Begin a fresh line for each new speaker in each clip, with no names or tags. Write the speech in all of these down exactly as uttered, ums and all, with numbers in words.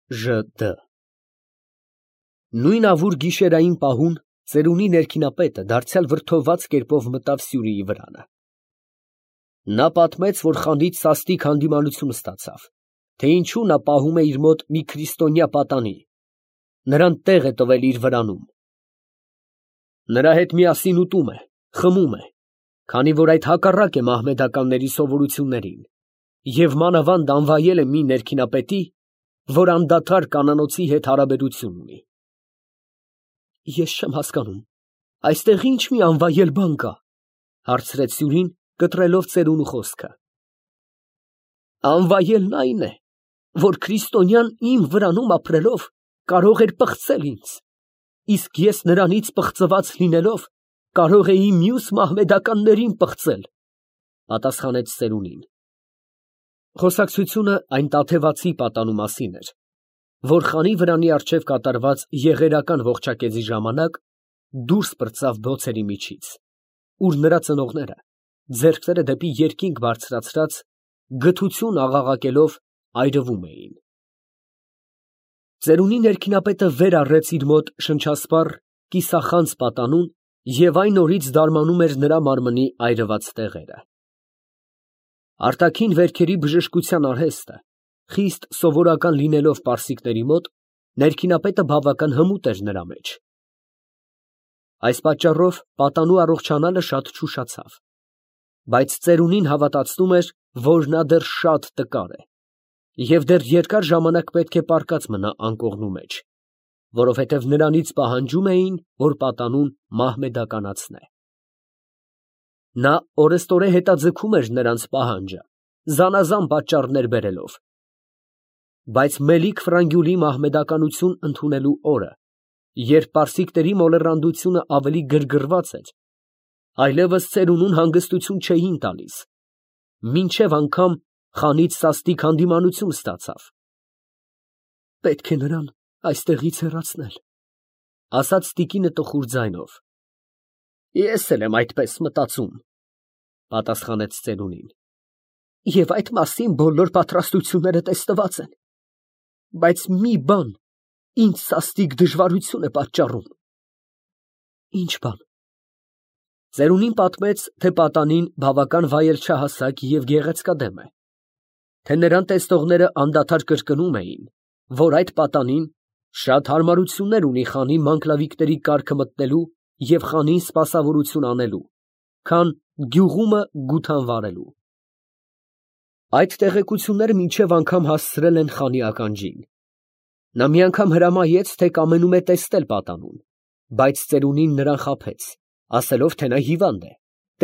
Ժ Դ Նույն ավուր գիշերային պահուն ծերունի ներքինապետը դարձյալ վրդոված կերպով մտավ Սյուրիի վրանը. նա պատմեց, որ խանից սաստիկ հանդիմանություն ստացավ, թե ինչու նա պահում է իր մոտ մի քրիստոնյա պատանի, նրան տեղ է տվել իր վրանում, նրա հետ միասին ուտում է, խմում է, քանի որ այդ հակառակ է մահմեդականների սովորություններին, և մանավանդ անվայել է մի ներքինապետի, որ անդադար կանանոցի հետ հարաբերություն ունի։ Ես չեմ հասկանում, այստեղ ինչ մի անվայել բան կա, հարցրեց Սյուրին, կտրելով ծերունու խոսքը։ Անվայելն այն է, որ քրիստոնյան իմ վրանում ապրելով կարող էր պղծել ինձ, իսկ ես նրանից պղծված լինելով կարող էի մյուս մահմեդականներին պղծել, պատասխանեց ծերունին։ Խոսակցությունը այն տաթևացի պատանու մասին էր, որ խանի վրանի առջև կատարված եղերական ողջակեզի ժամանակ դուրս պրծավ բոցերի միջից, ուր նրա ծնողները, ձեռքները դեպի երկինք բարձրացրած, գթություն աղաղակելով այրվում էին։ Ծերունի ներքինապետը վեր առեց իր մոտ շնչասպառ կիսախանձ պատանուն և այն օրից դարմանում էր նրա մարմնի այրված տեղերը։ Արտաքին վերքերի բժշկության արհեստը, խիստ սովորական լինելով պարսիկների մոտ, ներքինապետը բավական հմուտ էր նրա մեջ։ Այս պատճառով պատանու առողջանալը շատ չուշացավ, բայց ծերունին հավատացնում էր, որ նա դեռ շատ տկար է, և դեռ երկար ժամանակ պետք է պառկած մնա անկողնու մեջ, որովհետև նրանից պահանջում էին, որ պատանուն մահմեդականացնե։ Նա օրեստորե հետաձգում էր նրանց պահանջը, զանազան պատճառներ բերելով, բայց Մելիք Ֆրանգյուլի մահմեդականություն ընդունելու օրը, երբ պարսիկների մոլեռանդությունը ավելի գրգռված էր, այլևս ծերունուն հանգստություն չէին տալիս, մինչև անգամ խանից սաստիկ հանդիմանություն ստացավ։ Պետք է նրան այստեղից հեռացնել, ասաց տիկինը տխուր ձայնով։ Ես էլ եմ այդպես մտածում, պատասխանեց ծերունին, և այդ մասին բոլոր պատրաստությունները տեսնված են, բայց մի բան ինձ սաստիկ դժվարություն է պատճառում։ Ինչ բան։ Ծերունին պատմեց, թե պատանին բավական վայել չհասակ և գեղեցկադեմ է, թե նրան տեսնողները անդադար կրկնում էին, որ այդ պատանին շատ հարմարություններ ունի խանի մանկլավիկների կառքը մտնելու և խանին սպասավորություն անելու, քան գյուղումը գութան վարելու։ Այդ տեղեկությունները մինչև անգամ հասցրել են խանի ականջին։ Նա մի անգամ հրամայեց, թե կամենում է տեսնել պատանուն, բայց ծերունին նրան խաբեց, ասելով, թե նա հիվանդ է,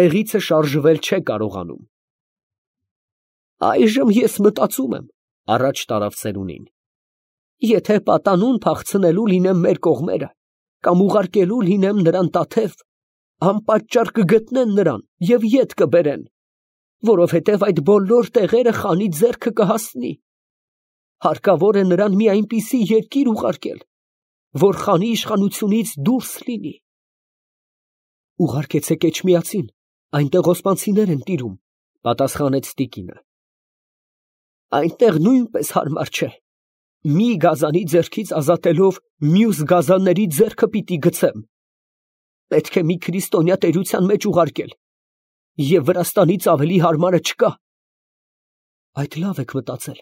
տեղիցը շարժվել չէ կարողանում։ Այժմ ես մտածում եմ, առաջ տարավ ծերունին, եթե պատանուն փախցնելու լինեմ մեր կողմերը, կամ ուղարկելու լինեմ նրան Տաթև, անպատճառ կգտնեն նրան և ետ կբերեն, որովհետև այդ բոլոր տեղերը խանի ձեռքը կհասնի։ Հարկավոր է նրան մի այնպիսի երկիր ուղարկել, որ խանի իշխանությունից դուրս լինի։ Ուղարկեցեք Էջմիածին, այնտեղ օսմանցիներ են տիրում, պատասխանեց տիկինը։ Այնտեղ նույնպես հարմար չէ։ Մի գազանի ձեռքից ազատելով մյուս գազանների ձեռքը պիտի գցեմ։ Պետք է մի քրիստոնյա տերության մեջ ուղարկել, և Վրաստանից ավելի հարմարը չկա։ Այդ լավ եք մտածել,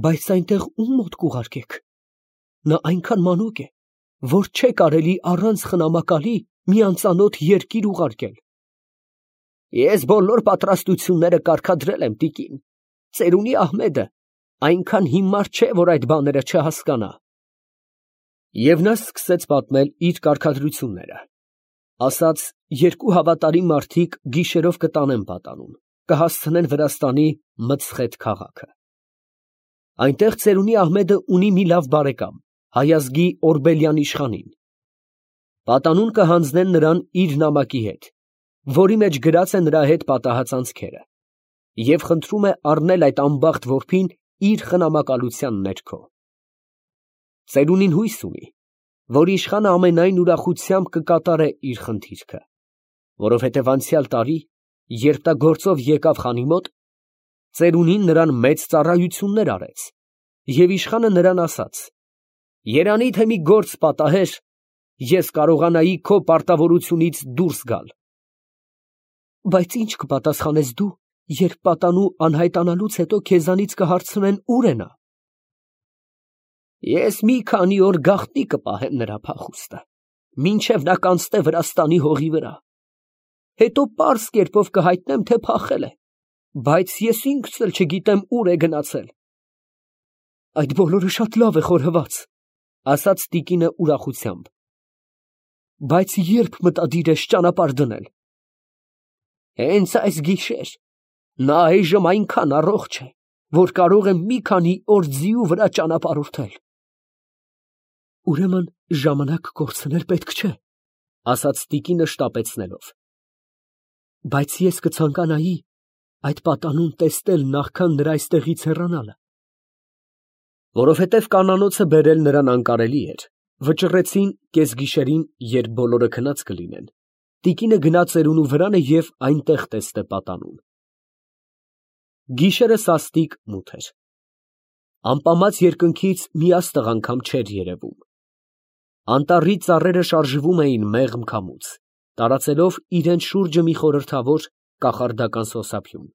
բայց այնտեղ ում մոտ կուղարկեք։ Նա այնքան մանուկ է, որ չէ կարելի առանց խնամակալի մի անծանոթ երկիր ուղարկել։ Ես բոլոր պատրաստությունները կարգադրել եմ, տիկին, ծերունի Ահմեդը այնքան հիմար չէ, որ այդ բաները չհասկանա։ Եվ նա սկսեց պատմել իր կարգադրությունները, ասաց, երկու հավատարիմ մարդիկ գիշերով կտանեն պատանուն, կհասցնեն Վրաստանի Մցխեթ քաղաքը։ Այնտեղ ծերունի Ահմեդը ունի մի լավ բարեկամ, հայազգի Օրբելյան իշխանին։ Պատանուն կհանձնեն նրան իր նամակի հետ, որի մեջ գրած է նրա հետ պատահած անցքերը, և խնդրում է առնել այդ անբախտ որբին իր խնամակալության ներքո։ Ծերունին հույս ունի, որ իշխանը ամենայն ուրախությամբ կկատարե իր խնդիրքը, որովհետև անցյալ տարի, երբ նա գործով եկավ խանի մոտ, ծերունին նրան մեծ ծառայություններ արեց Եվ իշխանը նրան ասաց. երանի թե մի գործ պատահեր, ես կարողանայի քո պարտավորությունից դուրս գալ։ Բայց ի՞նչ կպատասխանես դու, երբ պատանու անհայտանալուց հետո քեզանից կհարցնեն ուր է նա։ Ես մի քանի օր գաղտնի կպահեմ նրա փախուստը, մինչև նա կանցնե Վրաստանի հողի վրա։ Հետո պարզ կերպով կհայտնեմ, թե փախել է, բայց ես ինքս էլ չգիտեմ ուր է գնացել։ Այդ բոլորը շատ լավ է խորհված, ասաց տիկինը ուրախությամբ։ Բայց երբ մտադիր ես ճանապարհ դնել։ Հենց այս գիշեր, նա այժմ այնքան առողջ է, որ կարող է մի քանի օր ձիու վրա ճանապարհորդել։ Ուրեմն ժամանակ կորցնել պետք չէ, ասաց տիկինը շտապեցնելով։ Բայց ես կցանկանայի այդ պատանուն տեսնել նախքան նրա այստեղից հեռանալը։ Որովհետև կանանոցը բերել նրան անկարելի էր, վճռեցին կեսգիշերին, երբ բոլորը քնած կլինեն, տիկինը գնա ծերունու վրանը և այնտեղ տեսնե պատանուն։ Գիշերը սաստիկ մութ էր։ Ամպամած երկնքից մի աստղ անգամ չէր երևում։ Անտառի ծառերը շարժվում էին մեղմ քամուց, տարածելով իրենց շուրջը մի խորհրդավոր կախարդական սոսափյուն։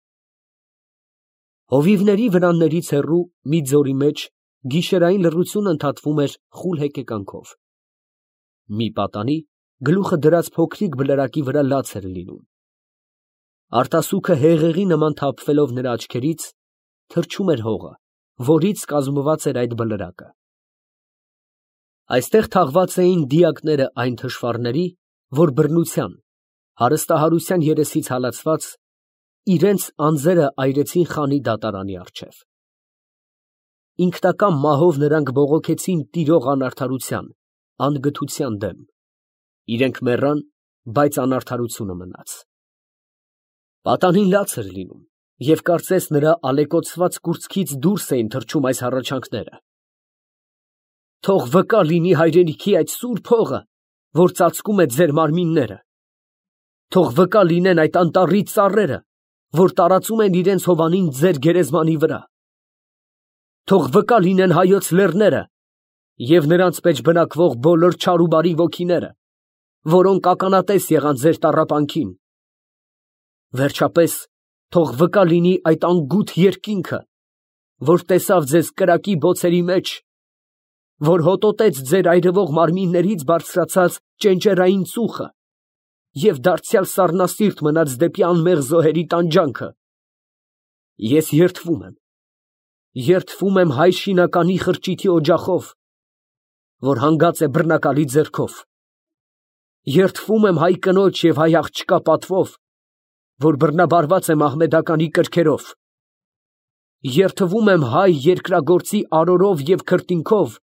Հովիվների վրաններից հեռու մի ձորի մեջ գիշերային լռությունը ընդհատվում էր խուլ հեկեկանքով։ Մի պատանի գլուխը դրած փոքրիկ բլրակի վրա լաց էր լինում։ Արտասուքը հեղեղի նման թափվելով նրա աչքերից, թրջում էր հողը, որից կազմված էր այդ բլրակը։ Այստեղ թաղված էին դիակները այն թշվառների, որ բռնության, հարստահարության երեսից հալածված, իրենց անձերը այրեցին խանի դատարանի առջև։ Ինքնական մահով նրանք բողոքեցին տիրող անարդարության, անգթության դեմ։ Իրենք մեռան, բայց անարդարությունը մնաց։ Պատանին լաց էր լինում, և կարծես նրա ալեկոծված կուրծքից դուրս էին թռչում այս հառաչանքները. Թող վկա լինի հայրենիքի այդ սուրբ հողը, որ ծածկում է ձեր մարմինները։ Թող վկա լինեն այդ անտառի ծառերը, որ տարածում են իրենց հովանին ձեր գերեզմանի վրա։ Թող վկա լինեն հայոց լեռները և նրանց մեջ բնակվող բոլոր չար ու բարի ոգիները, որոնք ականատես եղան ձեր տառապանքին։ Վերջապես, թող վկա լինի այդ անգութ երկինքը, որ տեսավ ձեզ կրակի բոցերի մեջ, որ հոտոտեց ձեր այրվող մարմիններից բարձրացած ճենճերային ծուխը և դարձյալ սառնասիրտ մնաց դեպի անմեղ զոհերի տանջանքը։ Ես երդվում եմ, երդվում եմ հայ շինականի խրճիթի օջախով, որ հանգած է բռնակալի ձեռքով։ Երդվում եմ հայ կնոջ և հայ աղջկա պատվով, որ բռնաբարված է մահմեդականի կրքերով։ Երդվում եմ հայ երկրագործի արորով և քրտինքով,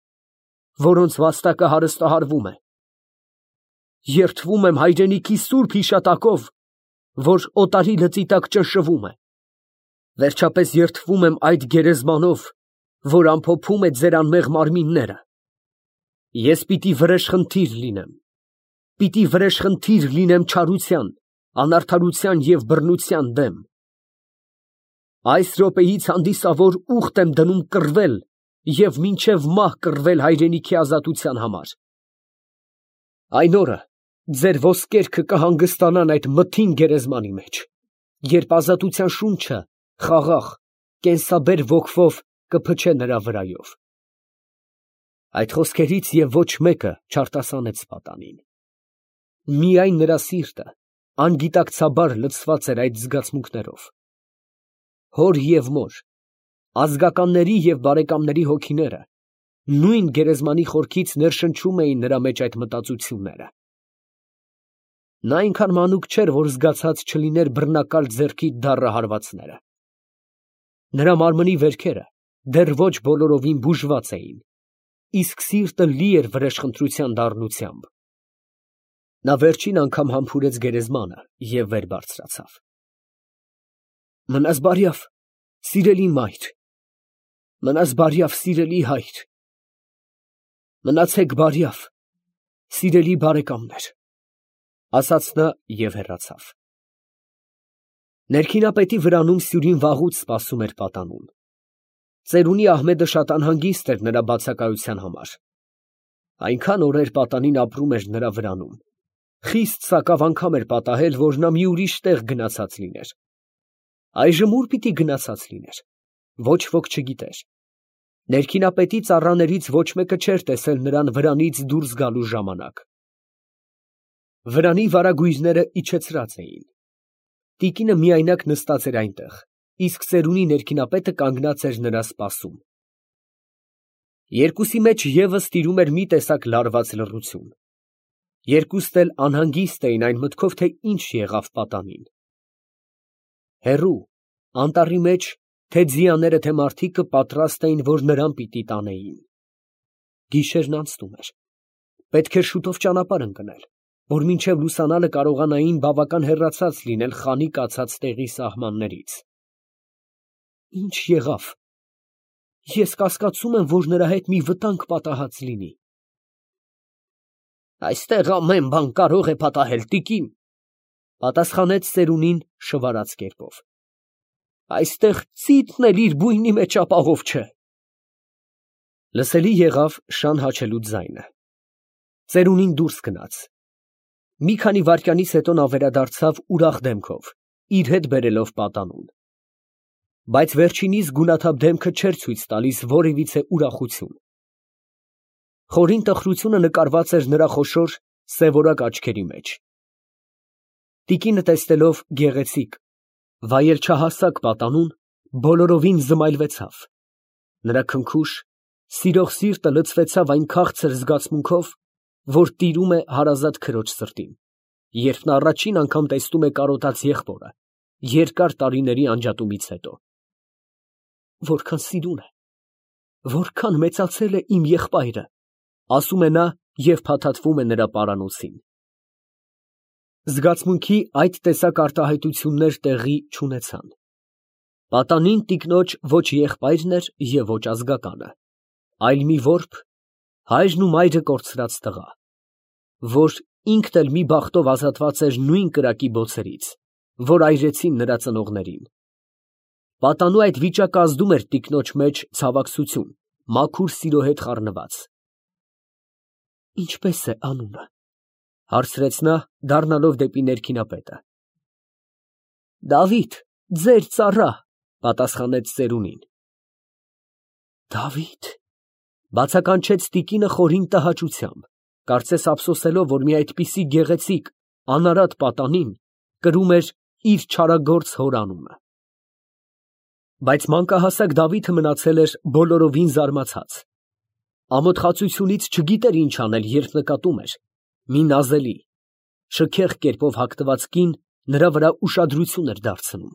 որոնց վաստակը հարստահարվում է։ Երդվում եմ հայրենիքի սուրբ հիշատակով, որ օտարի լծի տակ ճնշվում է։ Վերջապես երդվում եմ այդ գերեզմանով, որ ամփոփում է ձեր անմեղ մարմինները։ Ես պիտի վրեժխնդիր լինեմ, պիտի վրեժխնդիր լինեմ չարության, անարդարության և բռնության դեմ։ Այս րոպեից հանդիսավոր ուխտ եմ դնում կռվել և մինչև մահ կռվել հայրենիքի ազատության համար։ Այն օրը ձեր ոսկերքը կհանգստանան այդ մթին գերեզմանի մեջ, երբ ազատության շունչը խաղաղ, կենսաբեր ոգվով կփչե նրա վրայով։ Այդ խոսքերից և ոչ մեկը չարտասանեց պատանին։ Միայն նրա սիրտը անգիտակցաբար լցված էր այդ զգացմունքներով։ Հոր և մոր, ազգականների և բարեկամների հոգիները նույն գերեզմանի խորքից ներշնչում էին նրա մեջ այդ մտածությունները։ Նա այնքան մանուկ չէր, որ զգացած չլիներ բռնակալ ձեռքի դառը հարվածները։ Նրա մարմնի վերքերը դեռ ոչ բոլորովին բուժված էին, իսկ սիրտը լի էր վրեժխնդրության դառնությամբ։ Նա վերջին անգամ համբուրեց գերեզմանը և վեր բարձրացավ։ Մնաս բարյավ, սիրելի մայր, մնաս բարյավ, սիրելի հայր, մնացեք բարյավ, սիրելի բարեկամներ, ասաց նա և հեռացավ։ Ներքինապետի վրանում սյուրին վաղուց սպասում էր պատանուն։ Ծերունի Ահմեդը շատ անհանգիստ էր նրա բացակայության համար։ Այնքան օրեր պատանին ապրում էր նրա վրանում, խիստ սակավ անգամ էր պատահել, որ նա մի ուրիշ տեղ գնացած լիներ։ Այժմ ուր պիտի գնացած լիներ, ոչ ոք չգիտեր։ Ներքինապետի ծառաներից ոչ մեկը չէր տեսել նրան վրանից դուրս գալու ժամանակ։ Վրանի վարագույրները իջեցրած էին։ Տիկինը միայնակ նստած էր այնտեղ, իսկ ծերունի ներքինապետը կանգնած էր նրա սպասում։ Երկուսի մեջ ևս տիրում էր մի տեսակ լարված լռություն։ Երկուստ էլ անհանգիստ էին այն մտքով, թե ինչ եղավ պատանին։ Հեռու, անտառի մեջ, թե ձիաները, թե մարդիկը պատրաստ էին, որ նրան պիտի տանեին։ Գիշերն անցնում էր։ Պետք էր շուտով ճանապարհ ընկնել, որ մինչև լուսանալը կարողանային բավական հեռացած լինել խանի կացած տեղի սահմաններից։ Ինչ եղավ։ Ես կասկածում եմ, որ նրա հետ մի վտանգ պատահած լինի։ Այստեղ ամեն բան կարող է պատահել, տիկին, պատասխանեց ծերունին շվարած կերպով։ Այստեղ ծիծն էլ իր բույնի մեջ ապահով չէ։ Լսելի եղավ շան հաչելու ձայնը։ Ծերունին դուրս գնաց։ Մի քանի վայրկյանից հետո նա վերադարձավ ուրախ դեմքով, իր հետ բերելով պատանուն։ Բայց վերջինիս գունաթափ դեմքը չէր ցույց տալիս որևիցե ուրախություն։ Խորին տխրությունը նկարված էր նրա խոշոր սևորակ աչքերի մեջ։ Տիկինը տեսնելով գեղեցիկ, վայել չհասակ պատանուն, բոլորովին զմայլվեցավ։ Նրա քնքուշ, սիրող սիրտը լցվեցավ այն քաղցր զգացմունքով, որ տիրում է հարազատ քրոջ սրտին, երբ նա առաջին անգամ տեսնում է կարոտած եղբորը, երկար տարիների անջատումից հետո։ Որքան սիրուն է, որքան մեծացել է իմ եղբայրը, ասում է նա և փաթաթվում է նրա պարանոցին։ Զգացմունքի այդ տեսակ արտահայտություններ տեղի չունեցան։ Պատանին տիկնոջ ոչ եղբայրն էր և ոչ ազգականը, այլ մի որբ, հայրն ու մայրը կորցրած տղա, որ ինքն էլ մի բախտով ազատված էր նույն կրակի բոցերից, որ այրեցին նրա ծնողներին։ Պատանու այդ վիճակը ազդում էր տիկնոջ մեջ ցավակցություն, մաքուր սիրո հետ խառնված։ Ինչպե՞ս է անունը, հարցրեց նա, դառնալով դեպի ներքինապետը։ Դավիթ, ձեր ծառա, պատասխանեց ծերունին։ Դավիթ, բացականչեց տիկինը խորին տհաճությամբ, կարծես ափսոսելով, որ մի այդպիսի գեղեցիկ, անարատ պատանին կրում էր իր չարագործ հոր անունը։ Բայց մանկահասակ Դավիթը մնացել էր բոլորովին զարմացած։ Ամոթխածությունից չգիտեր ինչ անել, երբ նկատում էր մի նազելի, շքեղ կերպով հագնված կին նրա վրա ուշադրություն էր դարձնում։